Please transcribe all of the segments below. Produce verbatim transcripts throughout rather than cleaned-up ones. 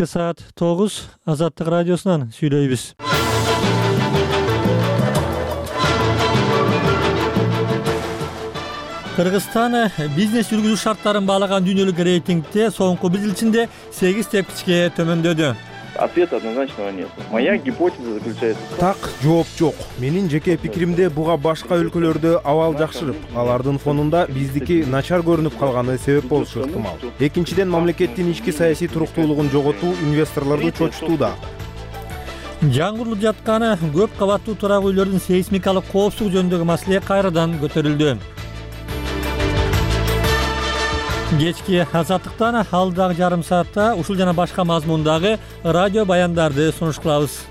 Кечте саат тогуз Азаттык радиосунан сүйлөйбүз. Кыргызстан бизнес жүргүзүү шарттарын баалаган дүйнөлүк рейтингде соңку бир жыл ичинде сегиз тепкичке төмөндөдү. Ответа однозначного нет. Моя гипотеза заключается. Так, жооп жок. Менин жеке пикиримде буга башка өлкөлөрдө абал жакшырып, алардын фонунда биздики начар көрүнүп калганы себеп болушу ыктымал. Экинчиден, мамлекеттин ички саясий туруктуулугун жоготуу инвесторлорду чочутууда. Жаңгырылып жатканы көп кабаттуу турак үйлөрдүн сейсмикалык коопсуздугу жөнүндөгү маселе кайрадан көтөрүлдү. Кечки Азаттыктан алдагы жарым саатта ушул жана башка мазмундагы радио баяндарды сунуш кылабыз.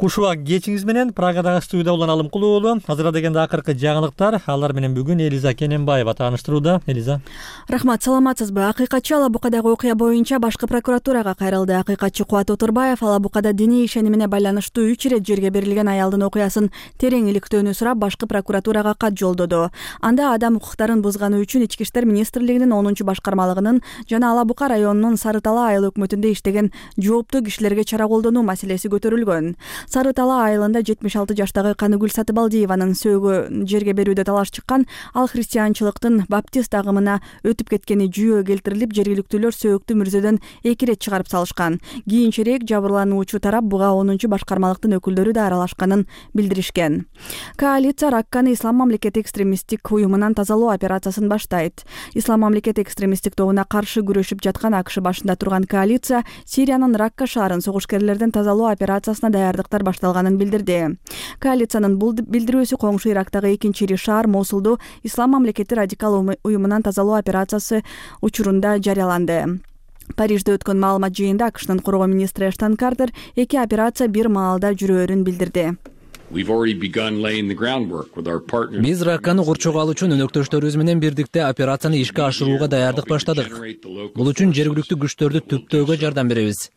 Кушуак кечиңиз менен Прагадагы студияда улан Алымкулуу уулу. Азыр дегенде акыркы жаңылыктар, алар менен бүгүн Элиза Кененбаева тааныштырууда. Элиза. Рахмат, саламатсызбы? Акыйкатчы Ала Букадагы окуя боюнча башкы прокуратурага кайрылды. Акыйкатчы Кубат Отурбаев Ала Букада диний ишенимине байланыштуу үч ирет жерге берилген аялдын окуясын терең иликтөөнү сурап, башкы прокуратурага кат жолдоду. Анда адам укуктарын бузганы үчүн Ички иштер министрлигинин онунчу башкармалыгынын жана Ала Бука районунун Сары Тала айыл өкмөтүндө иштеген жооптуу кишилерге чара колдонуу маселеси көтөрүлгөн. Сары Тала айылында жетимиш алты жаштагы Каныгүл Сатыбалдиеванын сөөгү жерге берүүдө талаш чыккан. Ал христианчылыктын баптист агымына өтүп кеткени жүйө келтирилип, жергиликтүүлөр сөөгүктү мүрзөдөн эки ирет чыгарып салышкан. Кийинчерээк жабырлануучу тарап буга онунчу башкармалыктын өкүлдөрү да аралашканын билдиришкен. Коалиция Ракканы Ислам мамлекети экстремисттик уюмунан тазалоо операциясын баштайт. Ислам мамлекети экстремисттик тобуна каршы күрөшүп жаткан АКШ башында турган коалиция Сириянын Ракка шаарын согушкерлерден тазалоо операциясына даярдыктар башталганын билдирди. Коалициянын бул билдирүүсү коңшу Ирактагы экинчи ири шаар Мосулду Ислам мамлекети радикал уюмунан тазалоо операциясы учурунда жарыяланды. Парижде өткөн маалымат жыйында АКШнын коргоо министри Эштон Картер эки операция бир маалда жүрөөрүн билдирди. Биз Ракканы курчоого алуу үчүн өнөктөштөрүбүз менен бирдикте операцияны ишке ашырууга даярдык баштадык. Бул үчүн жергиликтүү күчтөрдү түптөөгө жардам беребиз.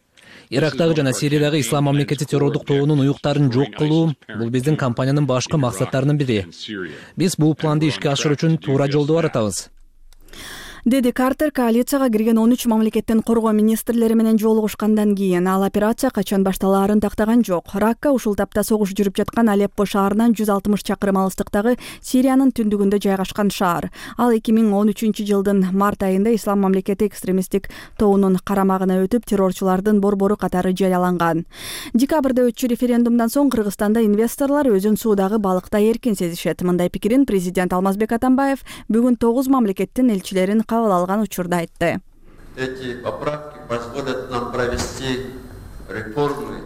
Ирактагы жана Сириядагы Ислам мамлекети террордук тобунун уюктарын жок кылуу — бул биздин компаниянын башкы максаттарынын бири. Биз бул планды ишке ашыруу үчүн туура жолдо баратабыз, деди Картер. Коалицияга кирген он үч мамлекеттин коргоо министрлери менен жолугушкандан кийин ал операция качан башталаарын тактаган жок. Ракка ушул тапта согуш жүрүп жаткан Алеппо шаарынан жүз алтымыш чакырым алыстыктагы Сириянын түндүгүндө жайгашкан шаар. Ал эки миң он үчүнчү жылдын март айында Ислам мамлекети экстремисттик тобунун карамагына өтүп, террорчулардын борбору катары жарыяланган. Декабрда өтчү референдумдан соң Кыргызстанда инвесторлор өзүн суудагы балыкта эркин сезишет. Мындай пикирин президент Алмазбек Атамбаев бүгүн тогуз мамлекеттин элчилерин кабыл алган учурда айтты. Эти поправки позволят нам провести реформы.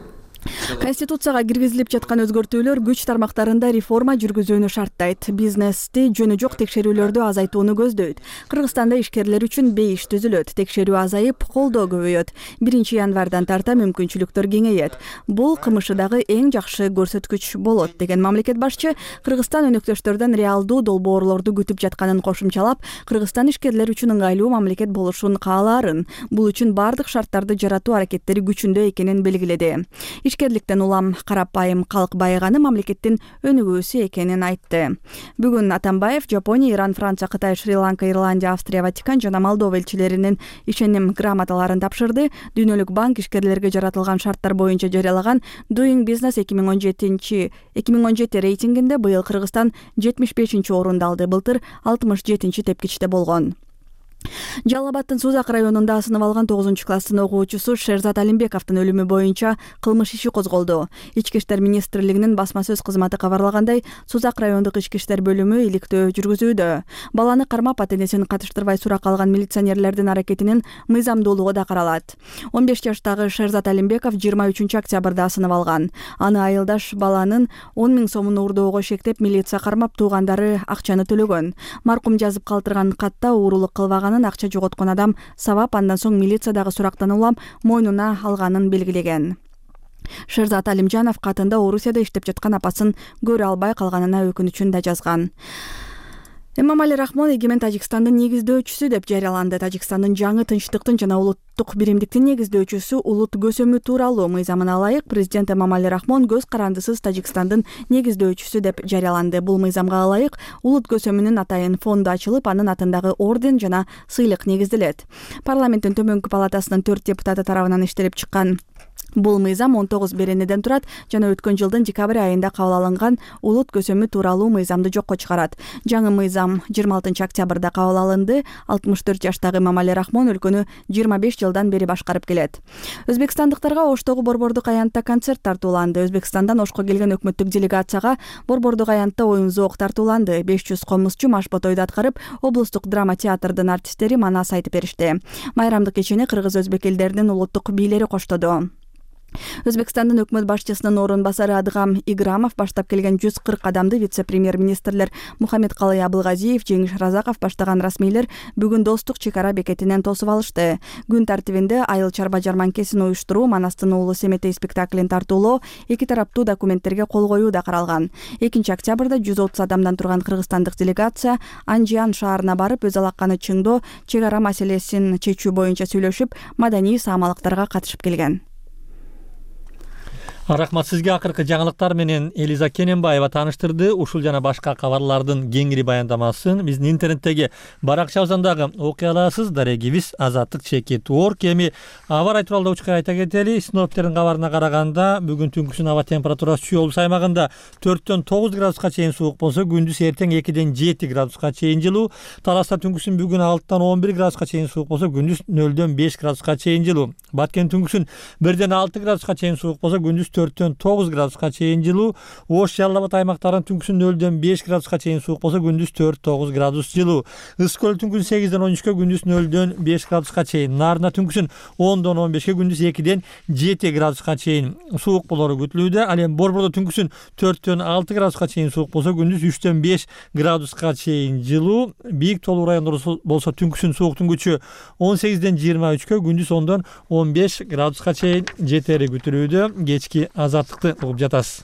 Конституцияга киргизилип жаткан өзгөртүүлөр күч тармактарында реформа жүргүзүүнү шарттайт. Бизнести жөнү жок текшерүүлөрдү азайтууну көздөйт. Кыргызстанда ишкерлер үчүн бейиш түзүлөт. Текшерүү азайып, колдоо көбөйөт. биринчи январдан тарта мүмкүнчүлүктөр кеңейет. Бул КМШдагы эң жакшы көрсөткүч болот, деген мамлекет башчы Кыргызстан өнөктөштөрдөн реалдуу долбоорлорду күтүп жатканын кошумчалап, Кыргызстан ишкерлер үчүн ыңгайлуу мамлекет болушун каалаарын, бул үчүн бардык шарттарды жаратуу аракеттери күчүндө экенин белгиледи. Ишкерликтен улам карапайым калк байыганы мамлекеттин өнүгүүсү экенин айтты. Бүгүн Атамбаев Жапония, Иран, Франция, Кытай, Шри-Ланка, Ирландия, Австрия, Ватикан жана Молдова элчилеринин ишеним грамоталарын тапшырды. Дүйнөлүк банк ишкерлерге жаратылган шарттар боюнча жарыялаган Doing Business эки миң он жети рейтингинде быйыл Кыргызстан жетимиш бешинчи орунду алды. Былтыр алтымыш жетинчи тепкичте болгон. Жалал Абадтын Сузак районунда асынып алган тогузунчу класстын окуучусу Шерзат Алимбековдун өлүмү боюнча кылмыш иши козголду. Ички иштер министрлигинин басма сөз кызматы кабарлагандай, Сузак райондук ички иштер бөлүмү иликтөө жүргүзүүдө. Баланы кармап, ата-энесин катыштырбай сурак алган милиционерлердин аракетинин мыйзамдуулугу да каралат. он беш жаштагы Шерзат Алимбеков жыйырма үчүнчү октябрда асынып алган. Аны айылдаш баланын он миң сомун уурдоого шектеп, милиция кармап, туугандары акчаны төлөгөн. Маркум жазып калтырган катта уурулук кылбаган акча жоготкон адам сабап, андан соң милициядагы сурактан улам мойнуна алганын белгилеген. Шерзат Алимжанов катында Орусияда иштеп жаткан апасын көрө албай калганына өкүнүчүн да жазган. Эмомали Рахмон эгемен Тажикстандын негиздөөчүсү деп жарыяланды. Тажикстандын жаңы тынчтыктын жана улуттук биримдиктин негиздөөчүсү улут көсөмү тууралуу мыйзамына ылайык президент Эмомали Рахмон көз карандысыз Тажикстандын негиздөөчүсү деп жарыяланды. Бул мыйзамга ылайык улут көсөмүнүн атайын фонду ачылып, анын атындагы орден жана сыйлык негизделет. Парламенттин төмөнкү палатасынын төрт депутаты тарабынан иштелип чыккан бул мыйзам он тогуз беренеден турат жана өткөн жылдын декабрь айында кабыл алынган улут көсөмү тууралуу мыйзамды жокко чыгарат. Жаңы мыйзам жыйырма алтынчы октябрда кабыл алынды. алтымыш төрт жаштагы Эмомали Рахмон өлкөнү жыйырма беш жылдан бери башкарып келет. Өзбекстандыктарга Оштогу Борбордук аянтта концерт тартууланды. Өзбекстандан Ошко келген өкмөттүк делегацияга Борбордук аянтта оюн зоок тартууланды. беш жүз комузчу машбот ойду аткарып, облустук драма театрдын артисттери манас айтып беришти. Майрамдык кечени кыргыз өзбек элдеринин улуттук бийлери коштоду. Өзбекстандын өкмөт башчысынын орун басары Адгам Играмов баштап келген жүз кырк адамды вице-премьер-министрлер Мухаммедкалый Абылгазиев, Жеңиш Разаков баштаган расмийлер бүгүн Достук чек ара бекетинен тосуп алышты. Күн тартибинде айыл чарба жарманкесин уюштуруу, Манастын уулу Семетей спектаклин тартуулоо, эки тараптуу документтерге кол коюу да каралган. экинчи октябрда жүз отуз адамдан турган кыргызстандык делегация Анжиан шаарына барып, өз алаканы чыңдоо, чек ара маселесин чечүү боюнча сүйлөшүп, маданий саамалыктарга катышып келген. Рахмат сизге. Акыркы жаңылыктар менен Элиза Кененбаева тааныштырды. Ушул жана башка кабарлардын кеңири баяндамасын биздин интернеттеги баракчабыздан дагы окуй аласыз. Дарегибиз Азаттык чекит орг. Эми аба ырайы тууралуу учка айта кетели. Синоптиктердин кабарына караганда бүгүн түнкүсүн аба температурасы Чүй облусу аймагында төрттөн тогуз градуска чейин суук болсо, күндүз эртең экиден жети градуска чейин жылуу. Таласта түнкүсүн бүгүн алтыдан он бир градуска чейин суук болсо, күндүз нөлдөн беш градуска чейин жылуу. Баткен түнкүсүн бирден алты градуска чейин суук болсо, күндүз төрттөн тогуз градуска чейин жылуу. Ош, Жалал Абад аймактарынын түнкүсүн нөлдөн беш градуска чейин суук болсо, күндүз төрт тогуз градус жылуу. Ысык көл түнкүсүн сегизден он үчкө, күндүз нөлдөн беш градуска чейин. Нарына түнкүсүн ондон он бешке, күндүз экиден жети градуска чейин суук болору күтүлүүдө. Ал эми Борбордо түнкүсүн төрттөн алты градуска чейин суук болсо, күндүз үчтөн беш градуска чейин жылуу. Бийик тоолуу райондордо болсо түнкүсүн сууктун күчү он сегизден жыйырма үчкө, күндүз ондон он беш градуска чейин жетери күтүлүүдө. Кечки Азаттыкты угуп жатасыз.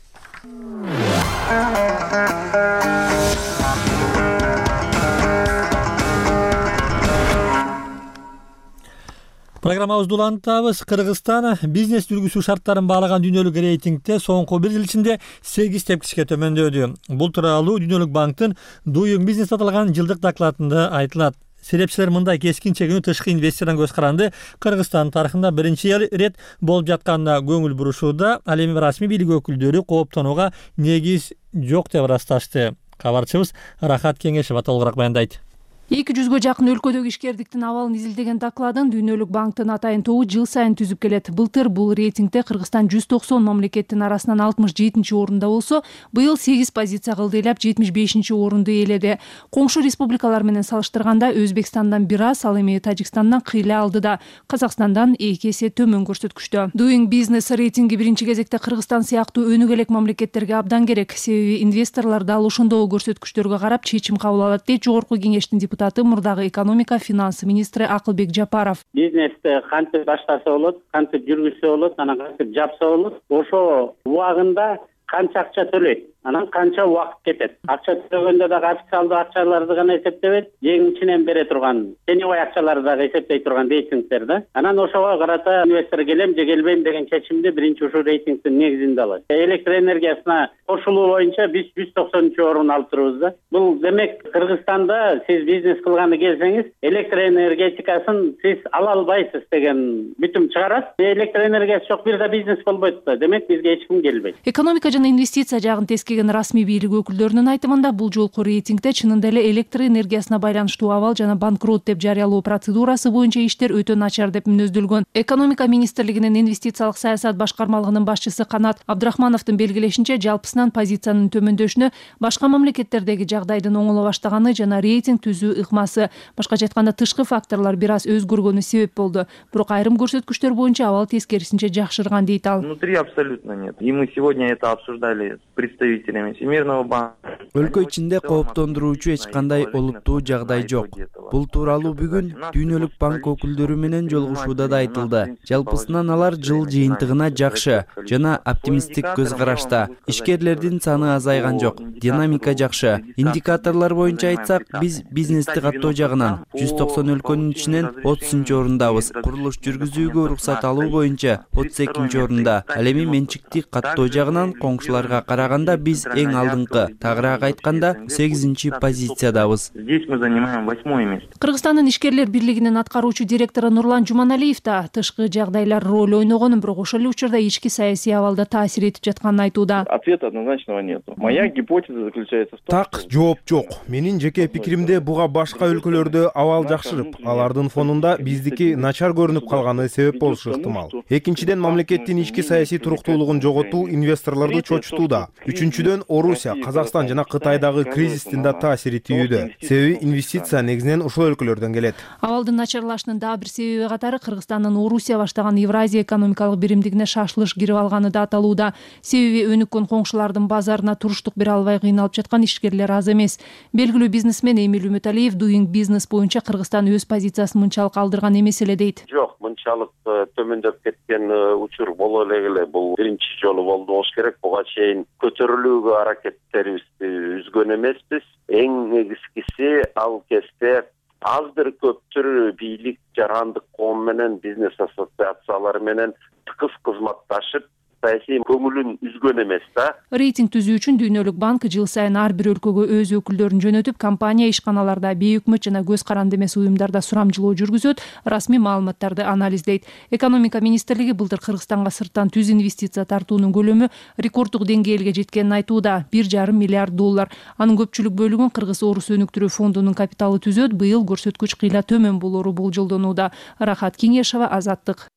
Программабызды улантабыз. Кыргызстан бизнес жүргүзүү шарттарын баалаган дүйнөлүк рейтингде соңку бир жыл ичинде сегиз тепкичке төмөндөдү. Бул тууралуу Дүйнөлүк банктын Doing Business аталган жылдык докладында айтылат. Серепчилер мындай кескин чегинүү тышкы инвестордон көз каранды Кыргызстан тарыхында биринчи рет болуп жатканына көңүл бурушууда. Ал эми расмий бийлик өкүлдөрү кооптонууга негиз жок деп ырасташты. Кабарчыбыз Рахат Кеңешева толугураак баяндайт. эки жүзгө жакын өлкөдөгү ишкердиктин абалын изилдеген докладын Дүйнөлүк банктын атайын тобу жыл сайын түзүп келет. Былтыр бул рейтингде Кыргызстан жүз токсон мамлекеттин арасынан алтымыш жетинчи орунда болсо, быйыл сегиз позиция кылдыйлап жетимиш бешинчи орунду ээледи. Коңшу республикалар менен салыштырганда Өзбекстандан бир аз, ал эми Тажикстандан кыйла алдыда, Казакстандан эки эсе төмөн көрсөткүчтө. Doing Business рейтинги биринчи кезекте Кыргызстан сыяктуу өнүгө элек мамлекеттерге абдан керек. Себеби инвесторлор дал ошондогу көрсөткүчтөргө карап чечим кабыл алат дейт Жогорку кеңештин депутаты, мурдагы экономика финанс министри Акылбек Жапаров. Бизнести кантип баштаса болот, кантип жүргүзсө болот, анан кантип жапса болот, ошо убагында канча акча төлөйт, анан канча убакыт кетет. Акча төлөгөндө дагы официалдуу акчаларды гана эсептебейт, жең ичинен бере турган теневой акчаларды дагы эсептей турган рейтингдер да. Анан ошого карата инвестор келем же келбейм деген чечимди биринчи ушул рейтингдин негизинде алат. Электр энергиясына кошулуу боюнча биз жүз токсонунчу орун алып турубуз да. Бул демек Кыргызстанда сиз бизнес кылганы келсеңиз, электр энергетикасын сиз ала албайсыз деген бүтүм чыгарат. Электр энергиясы жок бир да бизнес болбойт да. Демек бизге эч ким келбейт. Экономика жана инвестиция жагын тескеген расмий бийлик өкүлдөрүнүн айтымында бул жолку рейтингде чынында эле электр энергиясына байланыштуу абал жана банкрот деп жарыялоо процедурасы боюнча иштер өтө начар деп мүнөздөлгөн. Экономика министрлигинин инвестициялык саясат башкармалыгынын башчысы Канат Абдрахмановдун белгилешинче, жалпысынан позициянын төмөндөшүнө башка мамлекеттердеги жагдайдын оңоло баштаганы жана рейтинг түзүү ыкмасы, башкача айтканда тышкы факторлор бир аз өзгөргөнү себеп болду. Бирок айрым көрсөткүчтөр боюнча абал тескерисинче жакшырган дейт ал. Внутри абсолютно нет. И мы сегодня это обсуждали с представителями кредиттер эмес, Всемирного банка. Өлкө ичинде кооптондуруучу эч кандай олуттуу жагдай жок. Бул тууралуу бүгүн Дүйнөлүк банк өкүлдөрү менен жолугушууда да айтылды. Жалпысынан алар жыл жыйынтыгына жакшы жана оптимисттик көз карашта. Ишкерлердин саны азайган жок. Динамика жакшы. Индикаторлор боюнча айтсак, биз бизнести каттоо жагынан жүз токсон өлкөнүн ичинен отузунчу орундабыз. Курулуш жүргүзүүгө уруксат алуу боюнча отуз экинчи орунда. Ал эми менчикти каттоо жагынан коңшуларга караганда биз эң алдыңкы, тагыраак айтканда сегизинчи позициядабыз. Здесь мы занимаем восьмое место. Кыргызстандын ишкерлер бирлигинин аткаруучу директору Нурлан Жуманалиев да тышкы жагдайлар роль ойногонун, бирок ошол эле учурда ички саясий абалда таасир этип жатканын айтууда. Ответа однозначного нет. Моя гипотеза заключается в том, так жооп жок. Менин жеке пикиримде буга башка өлкөлөрдө абал жакшырып, алардын фонунда биздики начар көрүнүп калганы себеп болушу ыктымал. Экинчиден, мамлекеттин ички саясий туруктуулугун жоготуу инвесторлорду чочутууда. Үчүнчүдөн, Орусия, Казакстан жана Кытайдагы кризистин да таасири тийүүдө. Себеби инвестиция негизинен ушул өлкөлөрдөн келет. Абалдын начарлашынын дагы бир себеби катары Кыргызстандын Орусия баштаган Евразия экономикалык биримдигине шашылыш кирип алганы да аталууда. Себеби өнүккөн коңшулардын базарына туруштук бере албай кыйналып жаткан ишкерлер аз эмес. Белгилүү бизнесмен Эмиль Үмүталиев Doing Business боюнча Кыргызстан өз позициясын мынчалык алдырган эмес эле дейт. Жок, мынчалык төмөндөп кеткен учур боло эле. Бул биринчи жолу болду болуш керек. Буга чейин көтөрүлүүгө аракеттерибизди үзгөн эмеспиз. Эң негизгиси ал кезде аз бир көптүр бийлик, жарандык коом менен, бизнес ассоциациялары менен тыгыз кызматташып, саясий көңүлүн үзгөн эмес да. Рейтинг түзүү үчүн Дүйнөлүк банк жыл сайын ар бир өлкөгө өз өкүлдөрүн жөнөтүп, компания ишканаларда, бейөкмөт жана көз каранды эмес уюмдарда сурамжылоо жүргүзөт, расмий маалыматтарды анализдейт. Экономика министрлиги былтыр Кыргызстанга сырттан түз инвестиция тартуунун көлөмү рекорддук деңгээлге жеткенин айтууда, бир жарым миллиард доллар. Анын көпчүлүк бөлүгүн Кыргыз-Орус өнүктүрүү фондунун капиталы түзөт. Быйыл көрсөткүч кыйла төмөн болору болжолдонууда. Рахат Кеңешова, Азаттык.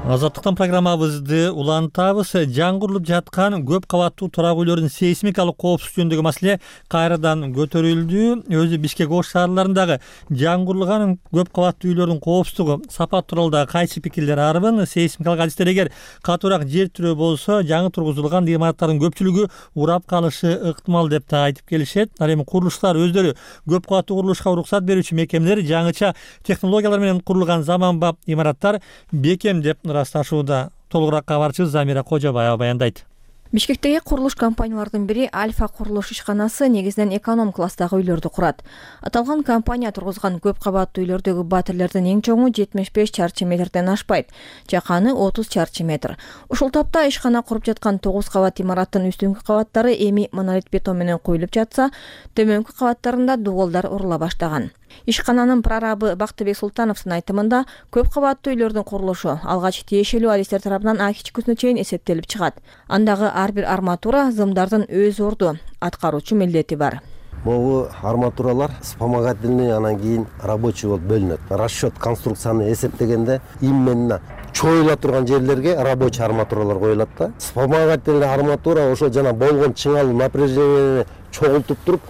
Азаттыктан программабызды улантабыз. Жаңгырылып жаткан көп кабаттуу турак үйлөрдүн сейсмикалык коопсуздугу жөнүндөгү маселе кайрадан көтөрүлдү. Өзү Бишкек Ош шаарларындагы жаңгырылган көп кабаттуу үйлөрдүн коопсуздугу сапат тууралуу дагы кайсы пикирлер арбын. Сейсмикалык адистер эгер катуураак жер тирөө болсо, жаңы тургузулган имараттардын көпчүлүгү урап калышы ыктымал деп да айтып келишет. Ал эми курулуштар өздөрү көп кабаттуу курулушка уруксат берүүчү мекемелер жаңыча технологиялар менен курулган заманбап имараттар бекем деп ырасташууда. Толугураак кабарчыбыз Замира Кожобаева баяндайт. Бишкектеги курулуш компаниялардын бири Альфа курулуш ишканасы негизинен эконом класстагы үйлөрдү курат. Аталган компания тургузган көп кабаттуу үйлөрдөгү батирлердин эң чоңу жетимиш беш чарчы метрден ашпайт, жаканы отуз чарчы метр. Ушул тапта ишкана куруп жаткан тогуз кабат имараттын үстүңкү кабаттары эми монолит бетон менен коюлуп жатса, төмөнкү кабаттарында дуголдар урула баштаган. Ишкананын прорабы Бактыбек Султановдун айтымында, көп кабаттуу үйлөрдүн курулушу алгач тиешелүү адистер тарабынан А кичүүсүнө чейин эсептелип чыгат. Андагы ар бир арматура зымдардын өз орду, аткаруучу милдети бар. Могу арматуралар вспомогательный, анан кийин рабочий болуп бөлүнөт. Расчет конструкцияны эсептегенде именно чоюла турган жерлерге рабочий арматуралар коюлат да. Вспомогательный арматура ошо жана болгон чыңалуу напряжениени чогултуп туруп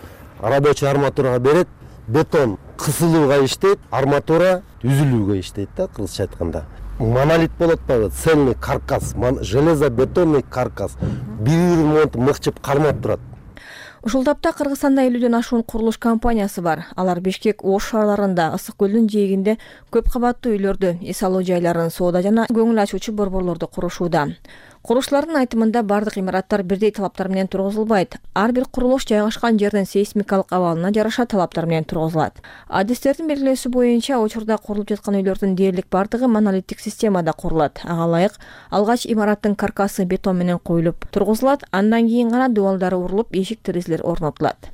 рабочий арматурага берет. Бетон кысылууга иштейт, арматура үзүлүүгө иштейт да, кыргызча айтканда. Монолит болот да, цельный каркас, железобетонный каркас. Бири-бири мыкчып кармап турат. Ушул тапта Кыргызстанда элүүдөн ашуун курулуш компаниясы бар. Алар Бишкек Ош шаарларында, Ысык көлдүн жээгинде көп кабаттуу үйлөрдү, эс алуу жайларын, соода жана көңүл ачуучу борборлорду курушууда. Курушчулардын айтымында бардык имараттар бирдей талаптар менен тургузулбайт. Ар бир курулуш жайгашкан жердин сейсмикалык абалына жараша талаптар менен тургузулат. Адистердин белгилөөсү боюнча, учурда курулуп жаткан үйлөрдүн дээрлик бардыгы монолиттик системада курулат. Ага ылайык алгач имараттын каркасы бетон менен коюлуп тургузулат, андан кийин гана дуалдары урулуп, эшик-терезелер орнотулат.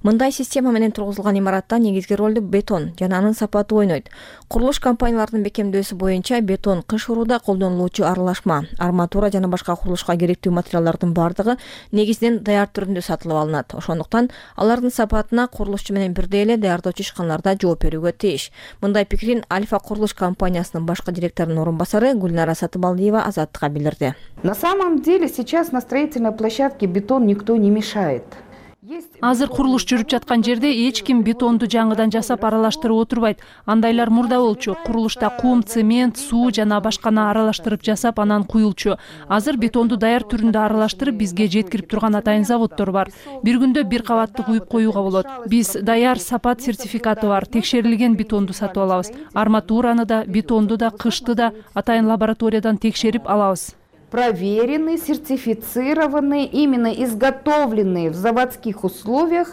Мындай система менен тургузулган имаратта негизги ролду бетон жана анын сапаты ойнойт. Курулуш компанияларынын бекемдөөсү боюнча бетон кыш урууда колдонулуучу аралашма, арматура жана башка курулушка керектүү материалдардын бардыгы негизинен даяр түрүндө сатылып алынат. Ошондуктан алардын сапатына курулушчу менен бирдей эле даярдоочу ишканаларда жооп берүүгө тийиш. Мындай пикирин Альфа курулуш компаниясынын башкы директорунун орун басары Гүлнара Сатыбалдиева Азаттыкка билдирди. На самом деле сейчас на строительной площадке бетон никто не мешает. Азыр курулуш жүрүп жаткан жерде эч ким бетонду жаңыдан жасап аралаштырып отурбайт. Андайлар мурда болчу. Курулушта кум, цемент, суу жана башканы аралаштырып жасап анан куюлчу. Азыр бетонду даяр түрүндө аралаштырып бизге жеткирип турган атайын заводдор бар. Бир күндө бир кабатты куюп коюуга болот. Биз даяр сапат сертификаты бар текшерилген бетонду сатып алабыз. Арматураны да, бетонду да, кышты да атайын лабораториядан текшерип алабыз. Проверенные, сертифицированные, именно изготовленные в заводских условиях.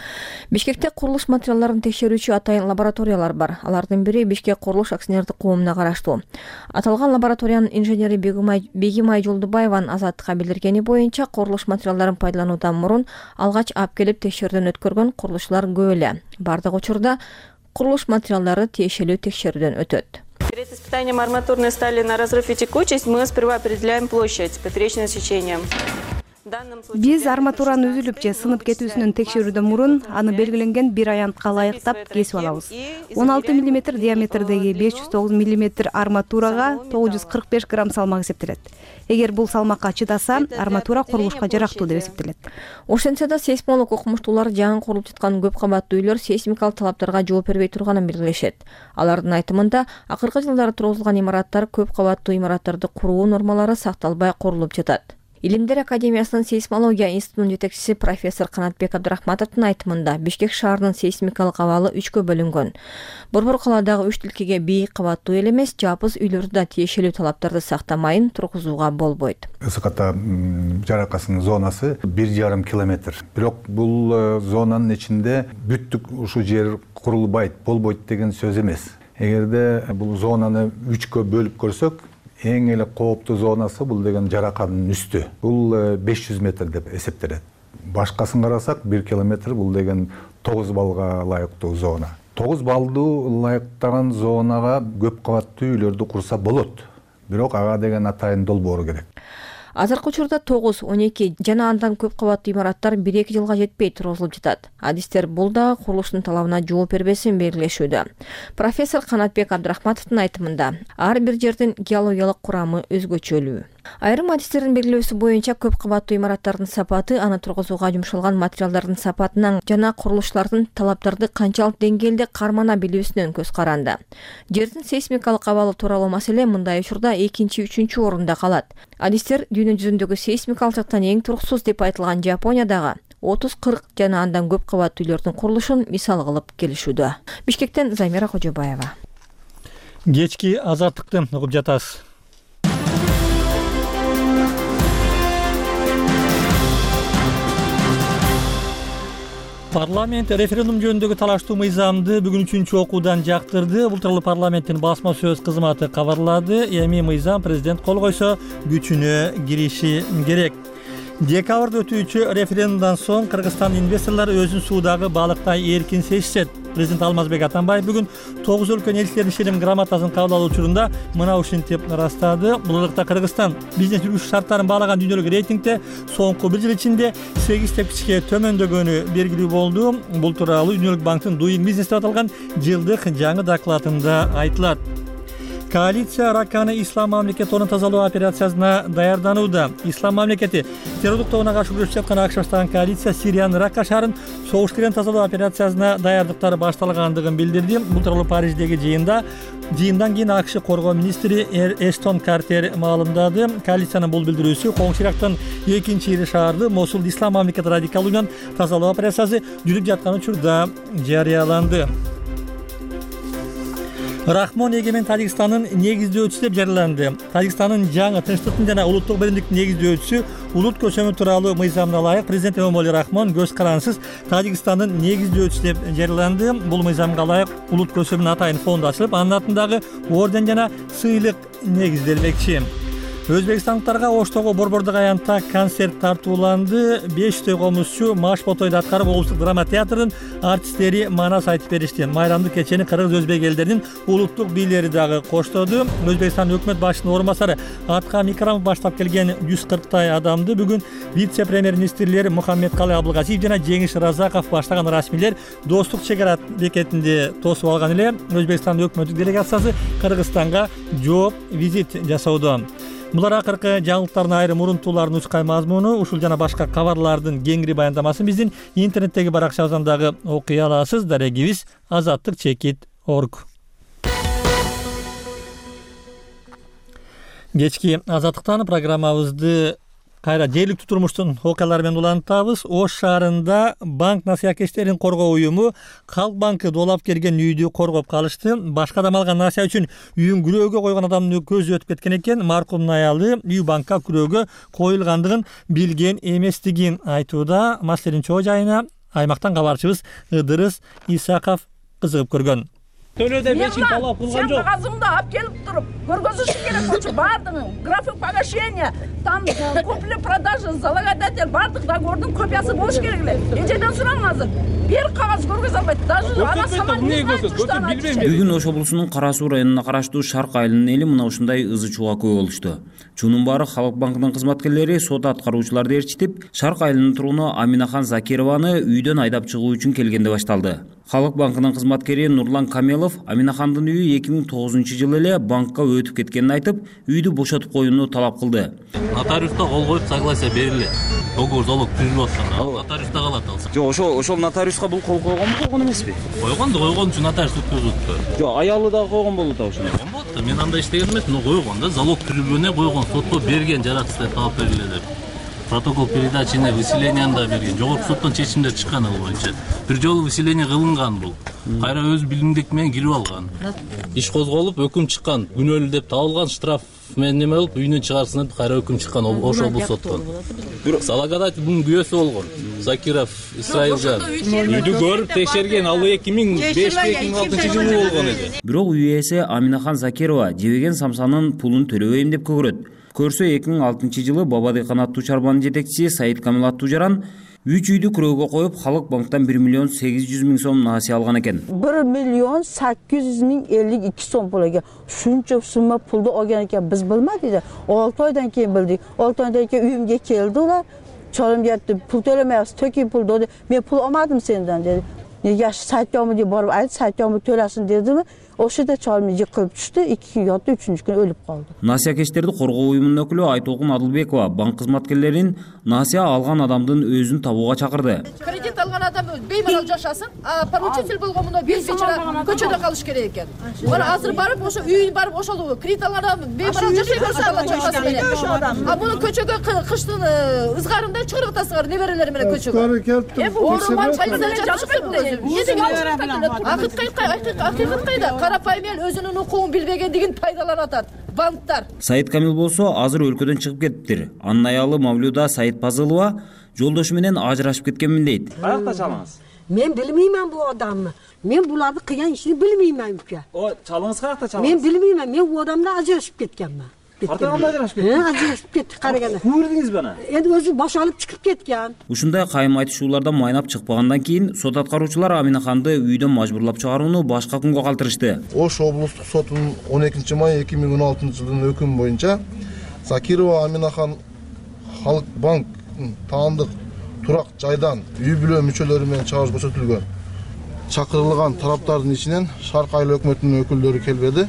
Бишкекте курулуш материалдарын текшерүүчү атайын лабораториялар бар. Алардын бири Бишкек курулуш акционердик коомуна караштуу. Аталган лабораториянын инженери Бегимай Жолдубаеванын Азаттыкка билдиргени боюнча, курулуш материалдарын пайдалануудан мурун алгач алып келип текшерүүдөн өткөргөн курулушчулар көп эле. Бардык учурда курулуш материалдары тиешелүү текшерүүдөн өтөт. Перед испытанием арматурной стали на разрыв и текучесть мы сперва определяем площадь поперечным сечением. Биз арматуранын үзүлүп же сынып кетүүсүнүн текшерүүдөн мурун аны белгиленген бир аянтка ылайыктап кесип алабыз. он алты миллиметр диаметрдеги беш жүз тогуз миллиметр арматурага тогуз жүз кырк беш грамм салмак эсептелет. Эгер бул салмакка чыдаса, арматура курулушка жарактуу деп эсептелет. Ошентсе да сейсмолог окумуштуулар жаңы курулуп жаткан көп кабаттуу үйлөр сейсмикалык талаптарга жооп бербей турганын белгилешет. Алардын айтымында, акыркы жылдары тургузулган имараттар көп кабаттуу имараттарды куруу нормалары сакталбай курулуп жатат. Илимдер академиясынын сейсмология институтунун жетекчиси профессор Канатбек Абдрахматовдун айтымында, Бишкек шаарынын сейсмикалык абалы үчкө бөлүнгөн. Борбор калаадагы үч тилкеге бийик кабаттуу эле эмес, жапыз үйлөрдү да тиешелүү талаптарды сактамайын тургузууга болбойт. Ысыката жаракасынын зонасы бир жарым километр. Бирок бул зонанын ичинде бүттүк ушул жер курулбайт, болбойт деген сөз эмес. Эгерде бул зонаны үчкө бөлүп көрсөк, эң эле кооптуу зонасы бул деген жараканын үстү. Бул беш жүз метр деп эсептелет. Башкасын карасак бир километр бул деген тогуз баллга ылайыктуу зона. тогуз баллдуу ылайыктаган зонага көп кабаттуу үйлөрдү курса болот. Бирок ага деген атайын долбоору керек. Азыркы учурда тогуз, он эки жана андан көп кабаттуу имараттар бир эки жылга жетпей тургузулуп жатат. Адистер бул да курулуштун талабына жооп бербесин белгилешүүдө. Профессор Канатбек Абдрахматовдун айтымында, ар бир жердин геологиялык курамы өзгөчөлүү. Айрым адистердин белгилөөсү боюнча көп кабаттуу имараттардын сапаты аны тургузууга жумшалган материалдардын сапатынан жана курулуштардын талаптарды канчалык деңгээлде кармана билүүсүнөн көз каранды. Жердин сейсмикалык абалы тууралуу маселе мындай учурда экинчи, үчүнчү орунда калат. Адистер дүйнө жүзүндөгү сейсмикалык жактан эң туруксуз деп айтылган Жапониядагы отуз кырк жана андан көп кабаттуу үйлөрдүн курулушун мисал кылып келишүүдө. Бишкектен Замира Кожобаева. Кечки азаттыкты угуп жатасыз. Парламент референдум жөнүндөгү талаштуу мыйзамды бүгүн үчүнчү окуудан жактырды. Бул тууралуу парламенттин басма сөз кызматы кабарлады. Эми мыйзам президент кол койсо күчүнө кириши керек. Декабрда өтүүчү референдумдан соң Кыргызстан инвесторлору өзүн суудагы балыктай эркин сезишет. Президент Алмазбек Атамбаев бүгүн тогуз өлкөнүн элчилеринин ишеним грамотасын кабыл алуу учурунда мына ушинтип ырастады. Бул ырыкта Кыргызстан бизнес жүргүзүү шарттарын баалаган дүйнөлүк рейтингде соңку бир жыл ичинде сегиз тепкичке төмөндөгөнү белгилүү болду. Бул тууралуу Дүйнөлүк банктын Doing Business деп аталган жылдык жаңы докладында айтылат. Коалиция Ракканы ислам мамлекетинин тазалоо операциясына даярданууда. Ислам мамлекети террорлук тобуна каршы күрөшүп жаткан АКШ баштаган коалиция Сириянын Ракка шаарын согуш кирен тазалоо операциясына даярдыктары башталгандыгын билдирди. Бул тууралуу Париждеги жыйында жыйындан кийин АКШ коргоо министри Эштон Картер маалымдады. Коалициянын бул билдирүүсү Коңшу Ирактын экинчи ири шаарды Мосулду ислам мамлекети радикалуунан тазалоо операциясы жүрүп жаткан учурда жарыяланды. Рахмон эгемен Тажикстандын негиздөөчүсү деп жарыяланды. Тажикстандын жаңы тынчтыктын жана улуттук биримдиктин негиздөөчүсү улут көчөмү тууралуу мыйзамына ылайык президент Эмомали Рахмон көз карансыз Тажикстандын негиздөөчүсү деп жарыяланды. Бул мыйзамга ылайык улут көчөмүнүн атайын фонду ачылып, анын атындагы орден жана сыйлык негизделмекчи. Өзбекстандыктарга Оштогу Борбордук аянтта концерт тартууланды. беш жүздөй комузчу Маш Ботойду аткарып облустук драма театрынын артисттери манас айтып беришти. Майрамдык кечени кыргыз өзбек элдеринин улуттук бийлери дагы коштоду. Өзбекстан өкмөт башчысынын орун басары Аткам Икрамов баштап келген жүз кырктай адамды бүгүн вице-премьер-министрлер Мухаммедкалы Абылгазиев жана Жеңиш Разаков баштаган расмийлер Достук чек ара бекетинде тосуп алган эле. Өзбекстан өкмөттүк делегациясы Кыргызстанга жооп визит жасоодо. Булар акыркы жаңылыктардын айрым урунтууларын ускай мазмуну. Ушул жана башка кабарлардын кеңири баяндамасын биздин интернеттеги баракчабыздан дагы окуй аласыз. Дарегибиз азаттык чекит орг. Кечки азаттыктан программабызды кайра жергиликтүү турмуштун окуялары менен улантабыз. Ош шаарында банк насыякечтерин коргоо уюму Халк банкы доолап келген үйдү коргоп калышты. Башка адам алган насыя үчүн үйүн күрөөгө койгон адамдын көзү өтүп кеткен экен. Маркумдун аялы үй банкка күрөөгө коюлгандыгын билген эместигин айтууда. Маселенин чоо жайына аймактан кабарчыбыз Ыдырыс Исаков кызыгып көргөн. Төлөдө бешин талап кылган жок. Сен кагазыңды алып келип туруп, көргөзүш керек болчу бардыгы. График погашения, там купли-продажа, залогодатель, бардык договордун копиясы болуш керек эле. Эжеден сурам азыр. Бир кагаз көргөзө албайт. Даже ана саман не знает. Бүгүн Ош облусунун Кара Суу районуна караштуу Шарк айылынын эли мына ушундай ызы-чууга күбө болушту. Чунун баары Халык банкынын кызматкерлери сот аткаруучуларды ээрчитип, Шарк айылынын тургуну Аминахан Закированы үйдөн айдап чыгуу үчүн келгенде башталды. Халык банкынын кызматкери Нурлан Камелов Аминахандын үйү эки миң тогузунчу жылы эле банкка өтүп кеткенин айтып, үйдү бошотуп коюуну талап кылды. Нотариуста кол коюп согласие берилет. Договор залог түзүлүп аткан. Нотариуста калат алса. Жок, ошол ошол нотариуска бул кол койгонбу, койгон эмеспи? Койгон да, койгон үчүн нотариус өткөзүптү. Жок, аялы да койгон болду да ошону. Койгон болду. Мен анда иштеген эмес, но койгон да, залог түзүлгөнүнө койгон, сотто берген жаратыштай таап бериле деп. Протокол передачаны выселенияны да берген. Жогорку соттон чечимдер чыккан ал боюнча. Бир жолу выселение кылынган бул. Кайра өз билимдик менен кирип алган. Иш козголуп, өкүм чыккан. Күнөөлүү деп табылган, штраф менен неме болуп, үйүнөн чыгарсын деп кайра өкүм чыккан Ош облус соттон. Бирок салагадатель бунун күбөсү болгон. Закиров Исраилжан. Үйдү көрүп текшерген, ал эки миң беш эки миң алтынчы жылы болгон эди. Бирок үй ээси Аминахан Закирова жебеген самсанын пулун төлөбөйм деп көгөрөт. Көрсө эки миң алтынчы жылы Бабадыйкан аттуу чарбанын жетекчиси Саид Камил аттуу жаран үч үйдү күрөөгө коюп, Халык банктан бир миллион сегиз жүз миң сом насыя алган экен. бир миллион сегиз жүз миң элүү эки сом пул экен. Шунча сумма пулду алган экен, биз билмедик. алты айдан кийин билдик. алты айдан кийин үйүмгө келди улар. Чорум жетти, пул төлөмөйсүз, төкөй пул dedi. Мен пул алмадым сенден dedi. Неге сайтёму деп барып айт, сайтёму төлөсүн дедими? Ошода чорум жыкылып түштү, эки күн жатты, үчүнчү күнү өлүп калды. Насыякечтерди коргоо уюмунун өкүлү Айтолкун Адылбекова банк кызматкерлерин насыя алган адамдын өзүн табууга чакырды. Кредит алган адам беймарал жашасын, а поручитель болгон мына бир бечара көчөдө калыш керек экен. Мына азыр барып ошо үй барып ошол кредит алган адам беймарал жашай берсе Алла чакасы менен. А муну көчөгө кыштын ызгарында чыгарып атасыңар неберелери менен көчөгө. Эми орунган чайында жашап кетти. Эмне деген акыйкат кайда? Карапайым эл өзүнүн укугун билбегендигин пайдаланып атат банктар. Саид Камил болсо азыр өлкөдөн чыгып кетиптир. Анын аялы Мавлюда Саид Пазылова жолдошу менен ажырашып кеткенмин дейт. Каякта чалыңыз? Мен билмеймин бул адамды. Мен буларды кыйган ишин билмеймин ука. О, чалыңыз каякта чалыңыз? Мен билмеймин. Мен бул адамдан ажырашып кеткенмин. Артаганда ажырашып кетти? Э, ажырашып кетти караганда. Көрдүңүзбү ана? Эndi өзү бошолуп чыгып кеткен. Ушундай кайым айтышуулардан майнап чыкпагандан кийин сот аткаруучулар Аминаханды үйдөн мажбурлап чыгарууну башка күнгө калтырышты. Ош облустук сотунун он экинчи май эки миң он алтынчы жылдын өкүмү боюнча Закирова Аминахан Халык банк таандык турак жайдан үй бүлө мүчөлөрү менен чыгарыш көрсөтүлгөн. Чакырылган тараптардын ичинен Шарк айыл өкмөтүнүн өкүлдөрү келбеди.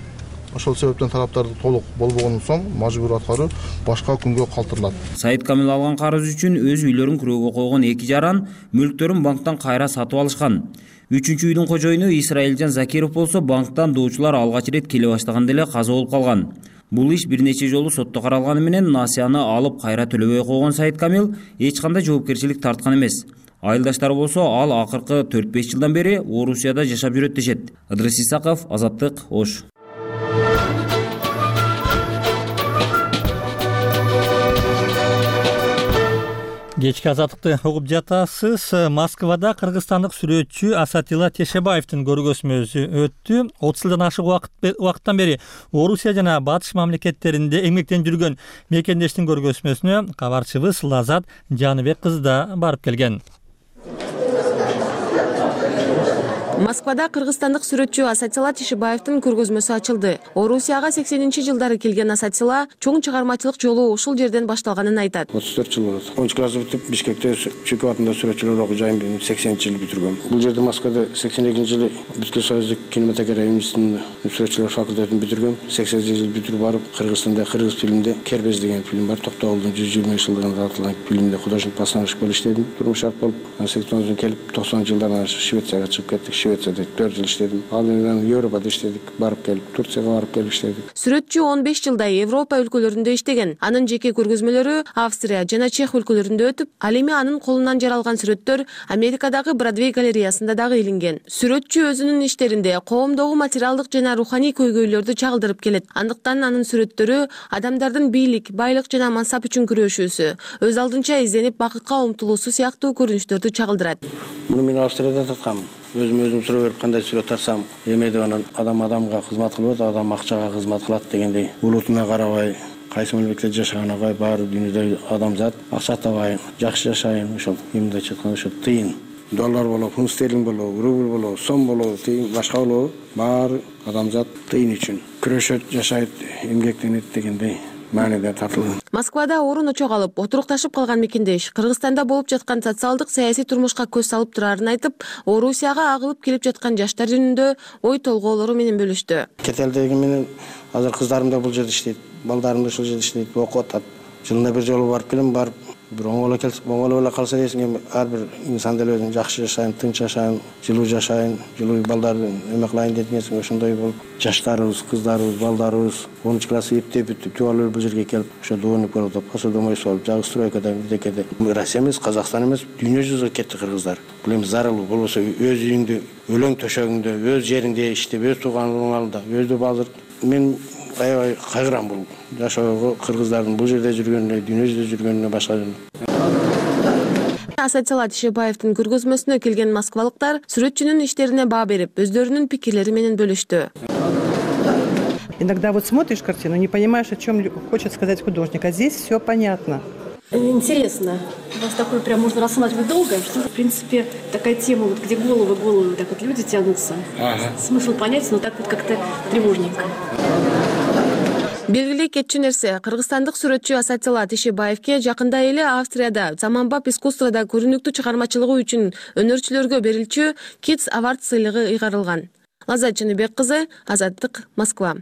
Ошол себептен тараптарды толук болбогондон соң мажбур аткаруу башка күнгө калтырылат. Саид Камил алган карыз үчүн өз үйлөрүн күрөөгө койгон эки жаран мүлктөрүн банктан кайра сатып алышкан. Үчүнчү үйдүн кожоюну Исраилжан Закиров болсо банктан доочулар алгач ирет келе баштаганда эле каза болуп калган. Бул иш бир нече жолу сотто каралганы менен насыяны алып кайра төлөбөй койгон Саид Камил эч кандай жоопкерчилик тарткан эмес. Айылдаштары болсо ал акыркы төрт беш жылдан бери Орусияда жашап жүрөт дешет. Ыдырыс Исаков, Азаттык, Ош. Кечки азаттыкты угуп жатасыз. Москвада кыргызстандык сүрөтчү Асатилла Тешебаевдин көргөзмөсү өттү. отуз жылдан ашык убакыттан бери Орусия жана Батыш мамлекеттеринде эмгектенип жүргөн мекендештин көргөзмөсүнө кабарчыбыз Лазат Жаныбек кызы да барып келген. Москвада кыргызстандык сүрөтчү Асатилла Тишибаевдин көргөзмөсү ачылды. Орусияга сексенинчи жылдары келген Асатилла чоң чыгармачылык жолу ушул жерден башталганын айтат. отуз төрт жыл болот. онунчу классы бүтүп Бишкекте Чүкө атында сүрөтчүлөр окуу жайын сексенинчи жылы бүтүргөм. Бул жерде Москвада сексен экинчи жылы Бүткүл Союздук кинематография институтунун сүрөтчүлөр факультетин бүтүргөм. сексенинчи жылы бүтүрүп барып Кыргызстанда кыргыз фильмде Кербез деген фильм бар. Токтогулдун жүз жыйырма жылдыгына тартылган фильмде художник постановщик болуп иштедим. Турмуш шарт болуп, сексен тогузунчу келип токсонунчу жылдарда Швецияга чыгып кеттик. Швецияда төрт жыл иштедим. Ал менен Европада иштедик, барып келип, Турцияга барып келип иштедик. Сүрөтчү он беш жылдай Европа өлкөлөрүндө иштеген. Анын жеке көргөзмөлөрү Австрия жана Чех өлкөлөрүндө өтүп, ал эми анын колунан жаралган сүрөттөр Америкадагы Бродвей галереясында дагы илинген. Сүрөтчү өзүнүн иштеринде коомдогу материалдык жана руханий көйгөйлөрдү чагылдырып келет. Андыктан анын сүрөттөрү адамдардын бийлик, байлык жана мансап үчүн күрөшүүсү, өз алдынча изденип бакытка умтулуусу сыяктуу көрүнүштөрдү чагылдырат. Муну мен Австрияда таткам. Өзүм өзүм суроо берип кандай сүрөт тарсам, эме деп анан адам адамга кызмат кылбайт, адам акчага кызмат кылат дегендей. Улутуна карабай, кайсы мамлекетте жашаганына карабай, баары дүйнөдө адамзат акча табайын, жакшы жашайын, ошол мындайча айтканда ошо тыйын. Доллар болобу, фунт стерлинг болобу, рубль болобу, сом болобу, тыйын башка болобу, баары адамзат тыйын үчүн күрөшөт, жашайт, эмгектенет дегендей мааниде тартылган. Москвада орун очок алып, отурукташып калган мекендеш Кыргызстанда болуп жаткан социалдык саясий турмушка көз салып турарын айтып, Орусияга агылып келип жаткан жаштар жөнүндө ой толгоолору менен бөлүштү. Кетелдеги менен азыр кыздарым да бул жерде иштейт, балдарым да ушул жерде иштейт, окуп атат. Жылына бир жолу барып келем, барып бир оңоло келсе, оңоло эле калса десең, ар бир инсан деле өзүн жакшы жашайын, тынч жашайын, жылуу жашайын, жылуу балдарды эме кылайын деп нерсең, ошондой болуп, жаштарыбыз, кыздарыбыз, балдарыбыз онунчу классы эптеп бүтүп, жубалуу бул жерге келип, ошо доонип болуп, посудомой болуп, жагы стройкада, бирдекеде. Россия эмес, Казакстан эмес, дүйнө жүзүгө кетти кыргыздар. Бул эми зарылуу болбосо өз үйүңдө, өлөң төшөгүңдө, өз жериңде иштеп, өз тууганыңдын алдында, өздү базыр. Мен аябай кайгырам бул жашоого, кыргыздардын бул жерде жүргөнүнө, дүйнө жүзүндө жүргөнүнө, башка. Асатилла Тишибаевдин көргөзмөсүнө келген москвалыктар сүрөтчүнүн иштерине баа берип, өздөрүнүн пикирлери менен бөлүштү. Иногда вот смотришь картину, не понимаешь, о чем хочет сказать художник, а здесь все понятно. Интересно. У вас такое прям можно рассматривать долго, что, в принципе, такая тема, вот, где головы, головы, так вот люди тянутся. Ага. Смысл понять, но так вот как-то тревожненько. Белгилүү кетчү нерсе, кыргызстандык сүрөтчү Асатилла Тишибаевке жакында эле Австрияда заманбап искусствода көрүнүктүү чыгармачылыгы үчүн өнөрчүлөргө берилчү Kids Award сыйлыгы ыйгарылган. Лаззат Жаныбек кызы, Азаттык, Москва.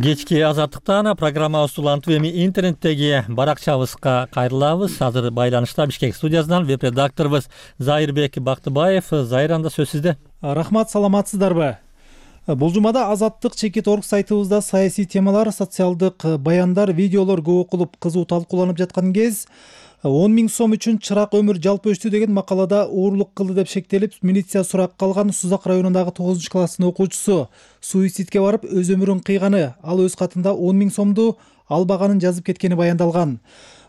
Кечки Азаттыктан программабыз улантып эми интернеттеги баракчабызга кайрылабыз. Азыр байланышта Бишкек студиясынан веб-редакторубуз Зайырбек Бактыбаев. Зайыр, анда сөз сизде. Рахмат, саламатсыздарбы? Бул жумада Азаттык чекит орг сайтыбызда саясий темалар, социалдык баяндар, видеолор көп окулуп, кызуу талкууланып жаткан кез он миң сом үчүн чырак өмүр жалпы өчтү деген макалада уурлук кылды деп шектелип, милиция суракка алган Сузак районундагы тогузунчу класстын окуучусу суицидке барып өз өмүрүн кыйганы, ал өз катында он миң сомду албаганын жазып кеткени баяндалган.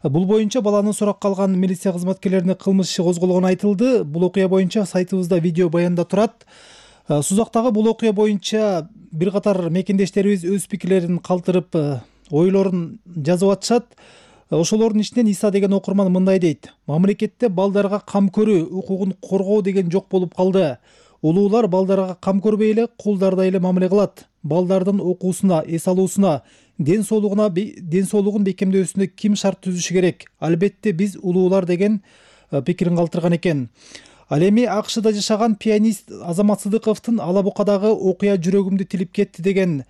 Бул боюнча баланы суракка алган милиция кызматкерлерине кылмыш иши козголгону айтылды. Бул окуя боюнча сайтыбызда видео баянда турат. Сузактагы бул окуя боюнча бир катар мекендештерибиз өз пикирлерин калтырып, ойлорун жазып атышат. Ошолордун ичинен Иса деген окурман мындай дейт: мамлекетте балдарга кам көрүү, укугун коргоо деген жок болуп калды. Улуулар балдарга кам көрбөй эле кулдардай эле мамиле кылат. Балдардын окуусуна, эс алуусуна, ден соолугуна, ден соолугун бекемдөөсүнө ким шарт түзүшү керек? Албетте биз улуулар деген пикирин калтырган экен. Ал эми АКШда жашаган пианист Азамат Сыдыковдун Ала Букадагы окуя жүрөгүмдү тилип кетти деген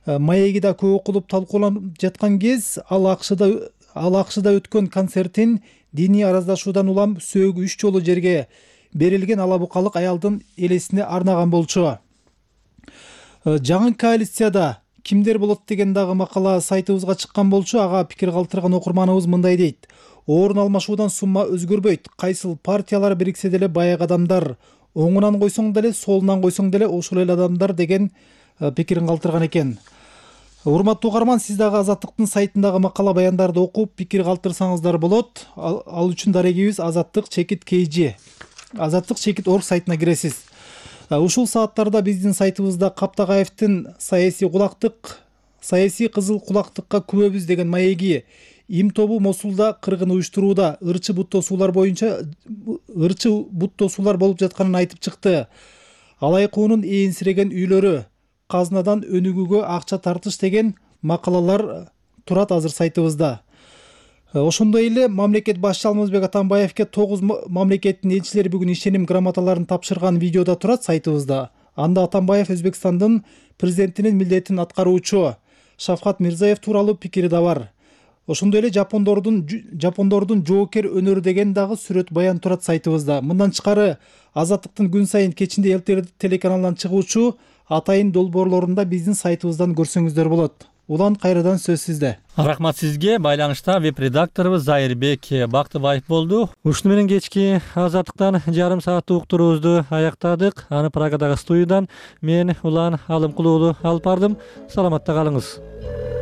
маеги да көп окулуп талкууланып жаткан кез, ал АКШда Ал АКШда өткөн концертин диний араздашуудан улам сөөгү үч жолу жерге берилген ала букалык аялдын элесине арнаган болчу. Жаңы коалицияда кимдер болот деген дагы макала сайтыбызга чыккан болчу. Ага пикир калтырган окурманыбыз мындай дейт: орун алмашуудан сумма өзгөрбөйт. Кайсыл партиялар бириксе деле баягы адамдар, оңунан койсоң деле, солунан койсоң деле ошол эле адамдар деген пикирин калтырган экен. Урматтуу угарман, сиз дагы Азаттыктын сайтындагы макала баяндарды окуп, пикир калтырсаңыздар болот. Ал, ал үчүн дарегибиз Азаттык чекит kg, Азаттык чекит орг сайтына киресиз. Ушул сааттарда биздин сайтыбызда Каптагаевдин саясий кулактык, саясий кызыл кулактыкка күбөбүз деген маеги Им тобу Мосулда кыргын уюштурууда ырчы бут тосуулар боюнча ырчы бут тосуулар болуп жатканын айтып чыкты. Алайкуунун ээнсиреген үйлөрү, казынадан өнүгүүгө акча тартыш деген макалалар турат азыр сайтыбызда. Ошондой эле мамлекет башчы Алмазбек Атамбаевке тогуз мамлекеттин элчилери бүгүн ишеним грамоталарын тапшырган видеодо турат сайтыбызда. Анда Атамбаев Өзбекстандын президентинин милдетин аткаруучу Шавкат Мирзаев тууралуу пикири да бар. Ошондой эле жапондордун жапондордун жоокер өнөрү деген дагы сүрөт баян турат сайтыбызда. Мындан тышкары Азаттыктын күн сайын кечинде Эл телеканалынан чыгуучу атайын долбоорлорунда биздин сайтыбыздан көрсөңүздөр болот. Улан, кайрадан сөз сизде. Рахмат сизге. Байланышта веб-редакторубуз Зайырбек Бактыбаев болду. Ушуну менен кечки Азаттыктан жарым сааттык уктуруубузду аяктадык. Аны Праgadагы студиядан мен Улан Алымкулуулу алып бардым. Саламатта калыңыз.